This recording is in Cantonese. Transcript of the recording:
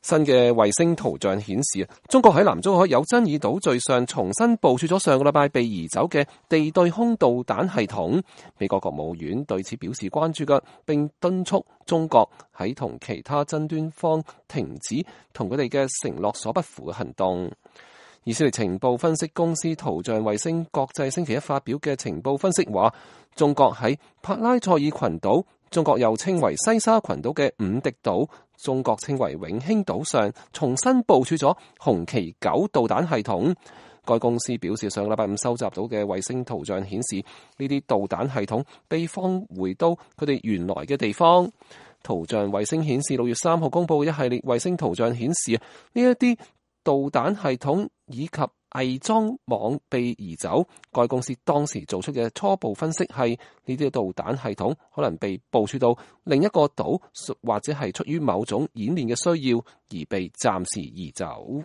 新嘅衛星圖像顯示，中國喺南中海有爭議島嶼上重新部署咗上個禮拜被移走嘅地對空導彈系統。美國國務院對此表示關注嘅，並敦促中國喺同其他爭端方停止同佢哋嘅承諾所不符嘅行動。以色列情報分析公司圖像衛星國際星期一發表嘅情報分析話，中國喺帕拉塞爾群島，中國又稱為西沙群島嘅五迪島，中國稱為永興島上重新部署咗紅旗9導彈系統。該公司表示，上個禮拜五收集到嘅衛星圖像顯示，呢啲導彈系統被放回到佢哋原來嘅地方。圖像衛星顯示6月3號公佈嘅一系列衛星圖像顯示，呢一啲導彈系統以及偽裝網被移走。該公司當時做出嘅初步分析係，呢啲導彈系統可能被部署到另一個島，或者係出於某種演練嘅需要而被暫時移走。